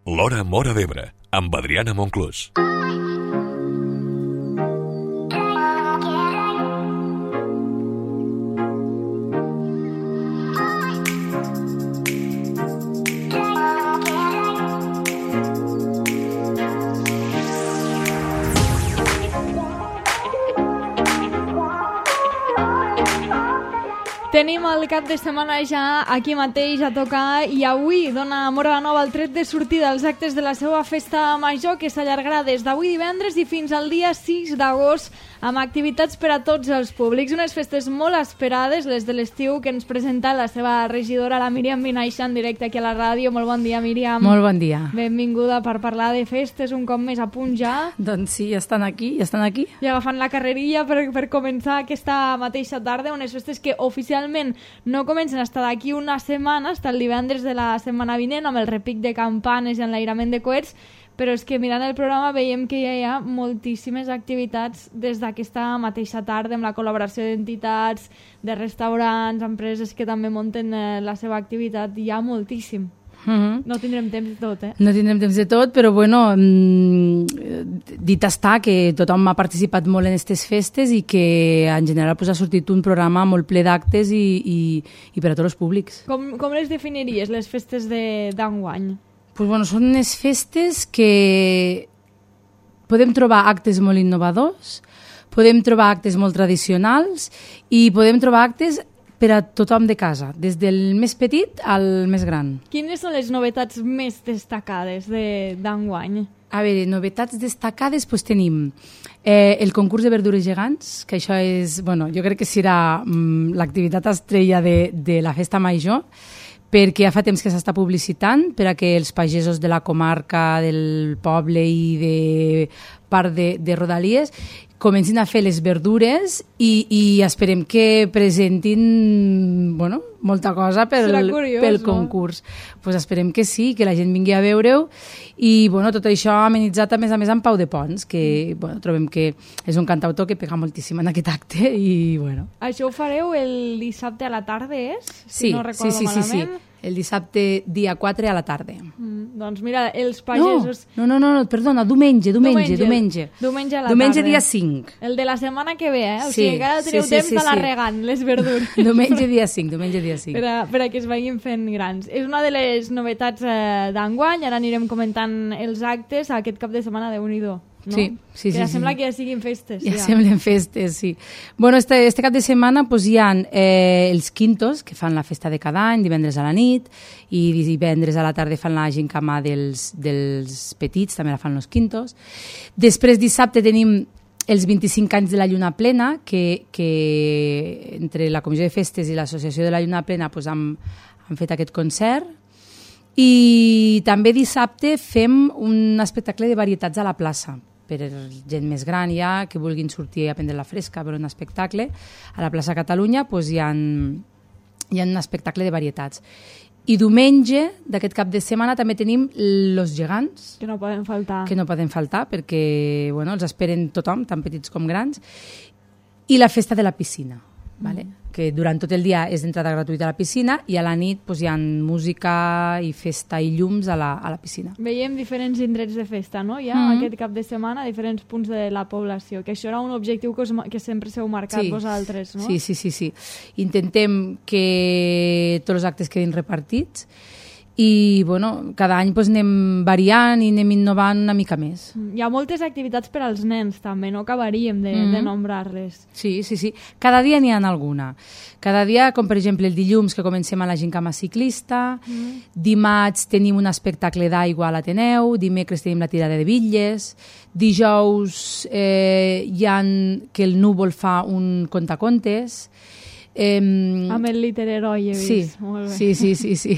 L'Hora Móra d'Ebre, amb Adriana Monclús. Tenim el cap de setmana ja aquí mateix a tocar i avui dona Móra la Nova el tret de sortida als actes de la seva festa major que s'allargarà des d'avui divendres i fins al dia 6 d'agost amb activitats per a tots els públics. Unes festes molt esperades, les de l'estiu, que ens presenta la seva regidora, la Míriam Vinaixa, en directe aquí a la ràdio. Molt bon dia, Míriam. Molt bon dia. Benvinguda per parlar de festes un cop més a punt ja. Doncs sí, ja estan aquí. I agafant la carrerilla per començar aquesta mateixa tarda, unes festes que oficialment no comencen hasta d'aquí una setmana, hasta el divendres de la setmana vinent, amb el repic de campanes i enlairament de coets, però és que mirant el programa veiem que ja hi ha moltíssimes activitats des d'aquesta mateixa tarda, amb la col·laboració d'entitats, de restaurants, empreses que també munten la seva activitat, hi ha moltíssim. No tindrem temps de tot, No tindrem temps de tot, però bueno, dit està que tothom ha participat molt en aquestes festes i que en general ha sortit un programa molt ple d'actes i per a tots els públics. Com les definiries, les festes d'enguany? Pues bueno, són unes festes que podem trobar actes molt innovadors, podem trobar actes molt tradicionals i podem trobar actes per a tothom de casa, des del més petit al més gran. Quines són les novetats més destacades d'enguany? A veure, novetats destacades doncs tenim el concurs de verdures gegants, que això és, bueno, jo crec que serà l'activitat estrella de la festa major, perquè ja fa temps que s'està publicitant per a que els pagesos de la comarca, del poble i de part de Rodalies comencin a fer les verdures i esperem que presentin molta cosa pel concurs. Pues esperem que sí, que la gent vingui a veure-ho i tot això amenitzat a més amb Pau de Pons, que trobem que és un cantautor que pega moltíssim en aquest acte i Això ho fareu el dissabte a la tarda, és? Sí, no recordo malament. Sí. El dissabte dia 4 a la tarda. Doncs mira, els pagesos... No, perdona, diumenge a la tarda. Diumenge dia 5. El de la setmana que ve, O sigui, encara teniu temps d'anar regant les verdures. Diumenge dia 5. Per a que es vagin fent grans. És una de les novetats d'enguany, ara anirem comentant els actes aquest cap de setmana de Unido. No? Sí. Ja sembla que ja siguin festes. Ja semblen festes, sí. Bueno, este cap de setmana hi ha els quintos, que fan la festa de cada any, divendres a la nit, i divendres a la tarda fan la gincama dels petits, també la fan els quintos. Després, dissabte, tenim els 25 anys de la Lluna Plena, que entre la Comissió de Festes i l'Associació de la Lluna Plena han fet aquest concert. I també dissabte fem un espectacle de varietats a la plaça, per gent més gran ja, que vulguin sortir a prendre la fresca per un espectacle. A la plaça Catalunya hi ha un espectacle de varietats. I diumenge d'aquest cap de setmana també tenim los gegants. Que no poden faltar. Perquè els esperen tothom, tant petits com grans. I la festa de la piscina, que durant tot el dia és d'entrada gratuïta a la piscina i a la nit hi ha música i festa i llums a la piscina. Veiem diferents indrets de festa, no? Aquest cap de setmana, diferents punts de la població, que això era un objectiu que sempre s'heu marcat vosaltres, no? Sí. Intentem que tots els actes quedin repartits i cada any anem variant i anem innovant una mica més. Hi ha moltes activitats per als nens també, no acabaríem de nombrar-les. Sí. Cada dia n'hi ha alguna. Cada dia, com per exemple el dilluns que comencem a la gincama ciclista, dimarts tenim un espectacle d'aigua a l'Ateneu, dimecres tenim la tirada de bitlles, dijous hi ha que el Núvol fa un contacontes. Amb el literheroi he vist. Sí.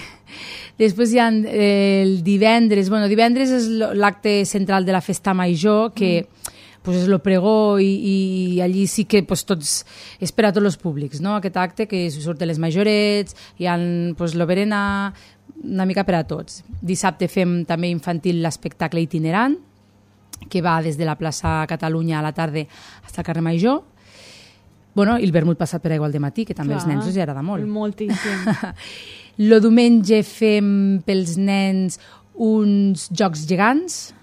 Després hi ha el divendres. Divendres és l'acte central de la festa major, que és el pregó i allí sí que tots és per a tots els públics, no? Aquest acte que surten les majorets, hi ha l'oberena, una mica per a tots. Dissabte fem també infantil l'espectacle itinerant, que va des de la plaça Catalunya a la tarda fins al carrer Major. I el vermut passat per aigua al dematí, que també als nens els agrada molt. Moltíssim. El diumenge fem pels nens uns jocs gegants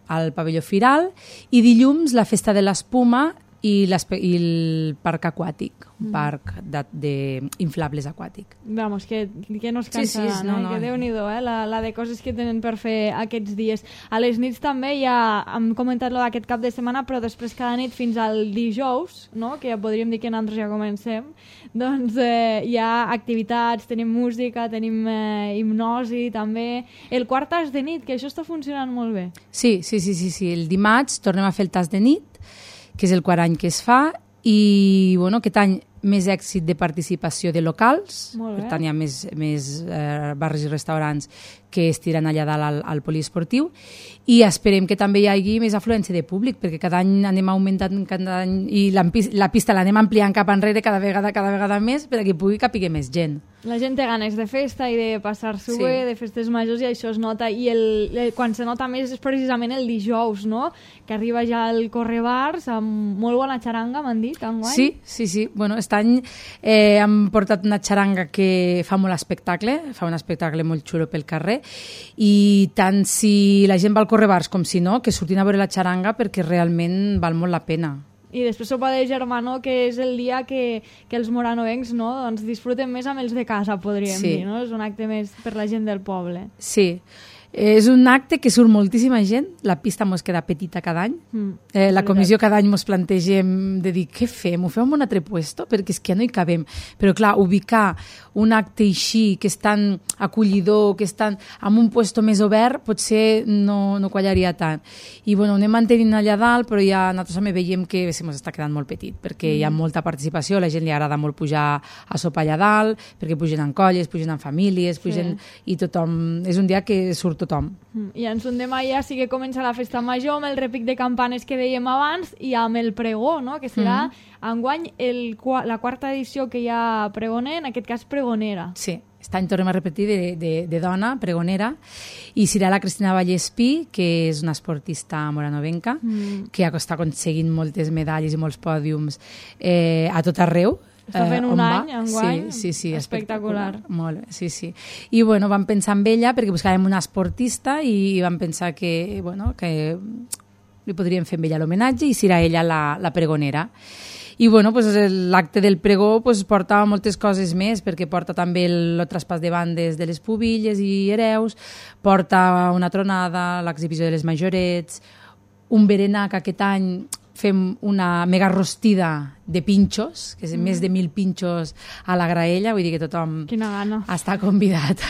al pavelló Firal i dilluns la festa de l'espuma i el parc aquàtic, un parc d'inflables aquàtic. Vamos, que no es cansaran, no. Que Déu-n'hi-do, la de coses que tenen per fer aquests dies. A les nits també ja hem comentat d'aquest cap de setmana, però després cada nit fins al dijous, no? Que ja podríem dir que nosaltres ja comencem, doncs hi ha activitats, tenim música, tenim hipnosi també. El quart tas de nit, que això està funcionant molt bé. Sí. El dimarts tornem a fer el tas de nit, que és el quart any que es fa, i aquest any més èxit de participació de locals, per tant hi ha més bars i restaurants que es tiren allà dalt al poliesportiu, i esperem que també hi hagi més afluència de públic, perquè cada any anem augmentant i la pista l'anem ampliant cap enrere cada vegada més perquè pugui capiguer més gent. La gent té ganes de festa i de passar-s'ho bé, de festes majors, i això es nota, i quan se nota més és precisament el dijous, no? Que arriba ja el Correbars amb molt bona xaranga, m'han dit, enguany. Sí. Aquest any hem portat una xaranga que fa molt espectacle, fa un espectacle molt xulo pel carrer, i tant si la gent va al Correbars com si no, que surtin a veure la xaranga perquè realment val molt la pena. I després sopa de germanor, que és el dia que els moranovencs, no, doncs disfruten més amb els de casa, podríem dir, no? És un acte més per la gent del poble. Sí. És un acte que surt moltíssima gent, la pista mos queda petita cada any, la comissió cada any mos plantegem de dir què fem, ho fem en un altre puesto, perquè és que ja no hi cabem, però clar, ubicar un acte així, que és tan acollidor, que és tan en un puesto més obert, potser no quallaria tant. I ho anem mantenint allà dalt, però ja nosaltres també veiem que se mos està quedant molt petit, perquè hi ha molta participació, a la gent li agrada molt pujar a sopar allà dalt, perquè pugen en colles, pugen en famílies, i tothom, és un dia que surt tothom. I en son demà ja sí que comença la festa major amb el repic de campanes que dèiem abans i amb el pregó, no? Que serà enguany la quarta edició que hi ha pregoner, en aquest cas pregonera. Sí, aquest any tornem a repetir de dona, pregonera, i serà la Cristina Vallespí, que és una esportista moranovenca, que està aconseguint moltes medalles i molts pòdiums a tot arreu. Està fent un any, enguany, sí, espectacular. Molt bé, sí. I vam pensar en ella perquè buscàvem una esportista i vam pensar que li podríem fer amb ella l'homenatge i serà ella la pregonera. I l'acte del pregó porta moltes coses més, perquè porta també el traspàs de bandes de les pubilles i hereus, porta una tronada, l'exhibició de les majorets, un berenar que aquest any fem una mega rostida de pinxos, que és més de 1.000 pinxos a la graella, vull dir que tothom està convidat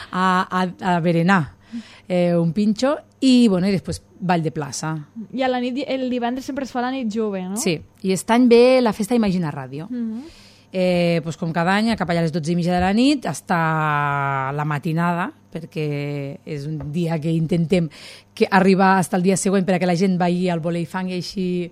a berenar un pinxo, i després ball de plaça. I a la nit, el divendres sempre es fa la nit jove, no? Sí, i aquest any ve la festa Imagina Ràdio. Com cada any, cap allà a les 12:30 de la nit, hasta la matinada, perquè és un dia que intentem arribar fins al dia següent perquè la gent vagi al volei fang i així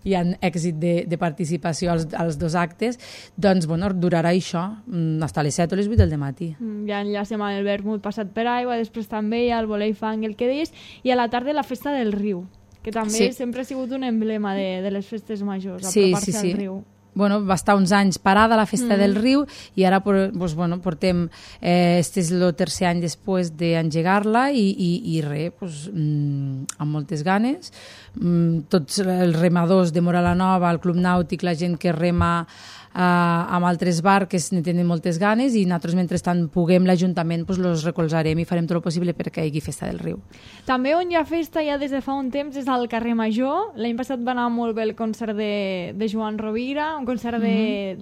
hi ha èxit de participació als dos actes, doncs durarà això fins a les 7 o les 8 del matí. Ja enllacem amb el vermut passat per aigua, després també hi ha el volei fang, el que deies, i a la tarda la festa del riu, que també sempre ha sigut un emblema de les festes majors, apropar-se al riu. Va estar uns anys parada la festa del riu i ara portem, este és el tercer any després d'engegar-la i amb moltes ganes. Tots els remadors de Mora la Nova, el Club Nàutic, la gent que rema amb altres barques ne tenen moltes ganes i nosaltres mentrestant puguem l'Ajuntament els recolzarem i farem tot el possible perquè hi hagi festa del riu. També on hi ha festa ja des de fa un temps és al carrer Major. L'any passat va anar molt bé el concert de Joan Rovira, un concert de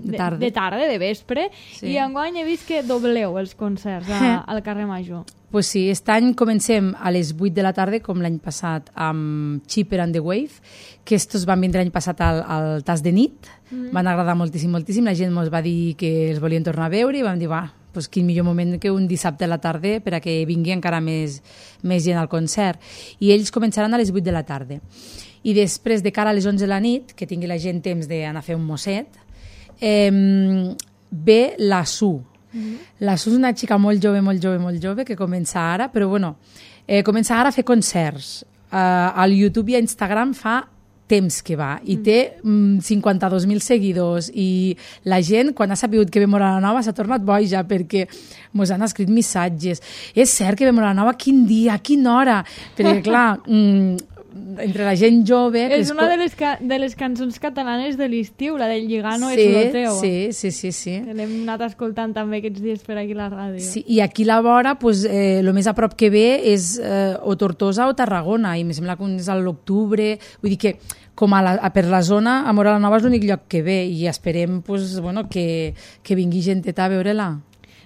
tarda, de vespre, i enguany he vist que dobleu els concerts al carrer Major. Pues sí, aquest any comencem a les 8 de la tarda, com l'any passat, amb Chipper and the Wave, que estos van vindre l'any passat al tas de nit, van agradar moltíssim, la gent ens va dir que els volien tornar a veure i vam dir, quin millor moment que un dissabte a la tarda per a que vingui encara més gent al concert. I ells començaran a les 8 de la tarda. I després, de cara a les 11 de la nit, que tingui la gent temps d'anar a fer un mosset, ve la Su. La Su és una xica molt jove, que comença ara, però comença ara a fer concerts. Al YouTube i a Instagram fa temps que va i té 52.000 seguidors i la gent, quan ha sabut que ve Móra la Nova, s'ha tornat boja perquè mos han escrit missatges. És cert que ve Móra la Nova? Quin dia? A quina hora? Perquè, clar, entre la gent jove... És una de les cançons catalanes de l'estiu, la del Lligano és lo teu. Sí. L'hem anat escoltant també aquests dies per aquí a la ràdio. Sí, i aquí a la vora, pues, el més a prop que ve és o Tortosa o Tarragona, i em sembla que és a l'octubre. Vull dir que com per la zona, a Móra la Nova és l'únic lloc que ve i esperem pues, bueno, que vingui genteta a veure-la.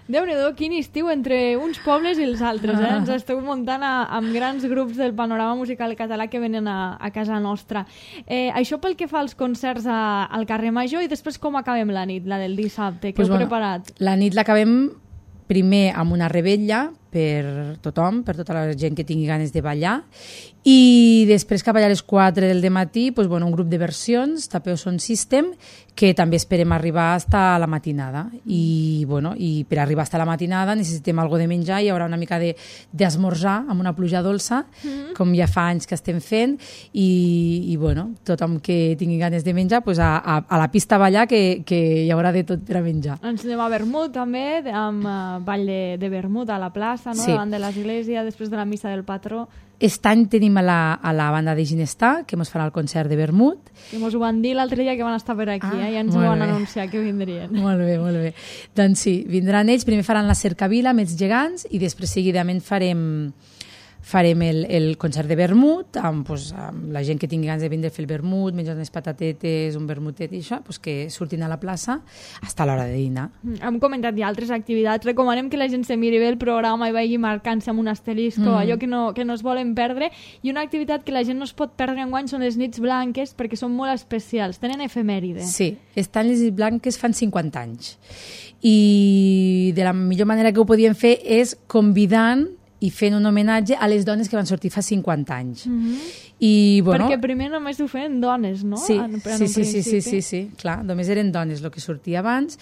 Déu-n'hi-do, quin estiu entre uns pobles i els altres. Ens esteu muntant amb grans grups del panorama musical català que venen a casa nostra. Això pel que fa als concerts al carrer Major i després com acabem la nit, la del dissabte, que heu preparat? La nit l'acabem primer amb una rebella per tothom, per tota la gent que tingui ganes de ballar, i després cap allà a les 4 del matí pues, bueno, un grup de versions, Tapeo Sound System, que també esperem arribar fins a la matinada. I per arribar fins a la matinada necessitem alguna de menjar, hi haurà una mica d'esmorzar amb una pluja dolça, com ja fa anys que estem fent, i tothom que tingui ganes de menjar, pues, a la pista a ballar, que hi haurà de tot per a menjar. Ens anem a Vermut també, amb ball de Vermut a la plaça, no? Davant de l'església, després de la missa del patró. Aquest any tenim a la banda de Ginestà, que ens farà el concert de Vermut. Que ens ho van dir l'altre dia que van estar per aquí, ja ens ho van anunciar que vindrien. Molt bé. Doncs sí, vindran ells, primer faran la cercavila amb els gegants i després seguidament farem el concert de vermut amb la gent que tingui ganes de vindre a fer el vermut, menjar unes patatetes, un vermutet i això, que surtin a la plaça fins a l'hora de dinar. Hem comentat ja altres activitats. Recomanem que la gent se miri bé el programa i vagi marcant-se amb un asterisco, allò que no es volen perdre. I una activitat que la gent no es pot perdre enguany són les nits blanques, perquè són molt especials. Tenen efemèride. Sí, estan les nits blanques fan 50 anys. I de la millor manera que ho podíem fer és convidant i fent un homenatge a les dones que van sortir fa 50 anys. I, perquè primer només ho feien dones, no? Sí, clar, només eren dones el que sortia abans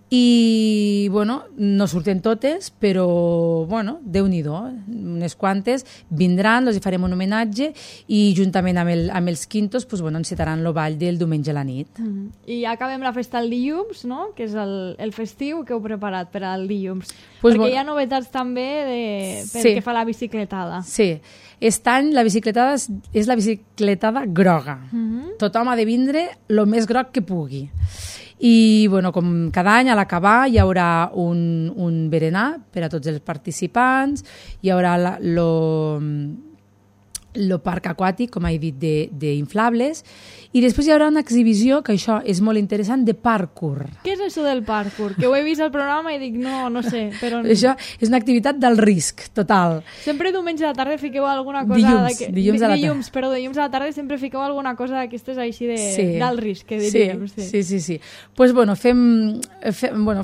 i, no surten totes, però, Déu-n'hi-do, unes quantes vindran, els hi farem un homenatge i juntament amb els quintos, encetaran el ball del diumenge a la nit. I acabem la festa el dilluns, no? Que és el festiu que heu preparat per al dilluns. Perquè hi ha novetats també pel que fa a la bicicletada. Sí, aquest any la bicicletada és la bicicletada groga. Tothom ha de vindre el més groc que pugui. I, com cada any, a l'acabar hi haurà un berenar per a tots els participants, hi haurà el parc aquàtic, com he dit, d'inflables, i després hi haurà una exhibició, que això és molt interessant, de parkour. Què és això del parkour? Que ho he vist al programa i dic, no sé. Però... Això és una activitat del risc, total. Sempre diumenge a la tarda fiqueu alguna cosa... Dilluns a la tarda sempre fiqueu alguna cosa d'aquestes així d'alt risc, que diríem. Sí. Pues,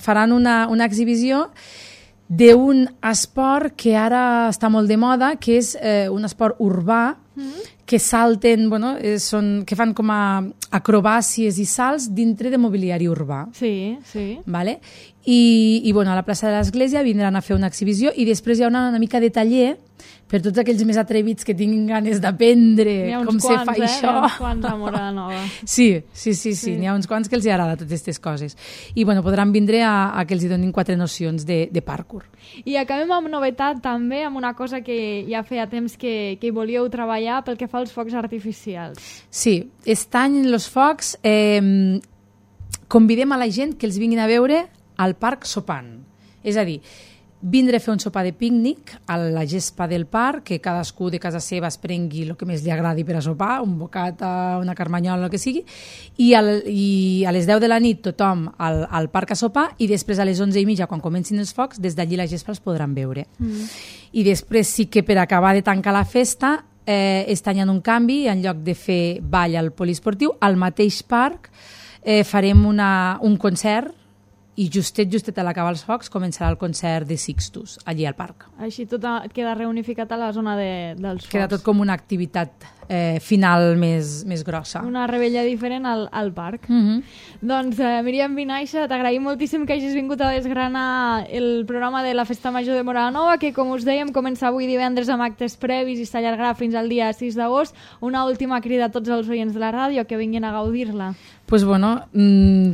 faran una exhibició d'un esport que ara està molt de moda, que és un esport urbà, que salten, que fan com a acrobàcies i salts dintre de mobiliari urbà. Sí. Vale? I a la plaça de l'església vindran a fer una exhibició i després hi haurà una mica de taller per tots aquells més atrevits que tinguin ganes d'aprendre com se fa això. N'hi ha uns quants a Móra la Nova. Sí, n'hi ha uns quants que els agrada totes aquestes coses. I podran vindre a que els donin 4 nocions de parkour. I acabem amb novetat també, amb una cosa que ja feia temps que hi volíeu treballar pel que fa als focs artificials. Sí, aquest any els focs convidem a la gent que els vinguin a veure al parc sopant. És a dir, vindre a fer un sopar de pícnic a la gespa del parc, que cadascú de casa seva es prengui el que més li agradi per a sopar, un bocata, una carmanyola, el que sigui, i a les 10 de la nit tothom al parc a sopar i després a les 11:30, quan comencin els focs, des d'allí la gespa els podran veure. I després sí que per acabar de tancar la festa aquest any hi ha un canvi, en lloc de fer ball al poliesportiu, al mateix parc farem un concert i justet a l'acabar els focs començarà el concert de Sixtus, allí al parc. Així tot queda reunificat a la zona dels focs. Queda tot com una activitat final més grossa. Una rebella diferent al parc. Doncs, Míriam Vinaixa, t'agraïm moltíssim que hagis vingut a desgranar el programa de la Festa Major de Móra la Nova, que, com us dèiem, comença avui divendres amb actes previs i s'allargarà fins al dia 6 d'agost. Una última crida a tots els oients de la ràdio que vinguin a gaudir-la. Pues bueno,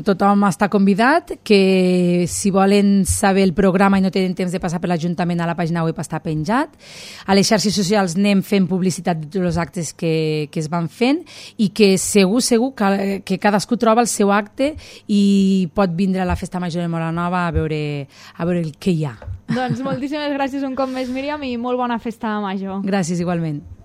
tothom està convidat, que si volen saber el programa i no tenen temps de passar per l'Ajuntament, a la pàgina web està penjat. A les xarxes socials anem fent publicitat de tots els actes que es van fent i que segur que cadascú troba el seu acte i pot vindre a la Festa Major de Móra la Nova a veure el que hi ha. Doncs moltíssimes gràcies un cop més, Míriam, i molt bona Festa Major. Gràcies, igualment.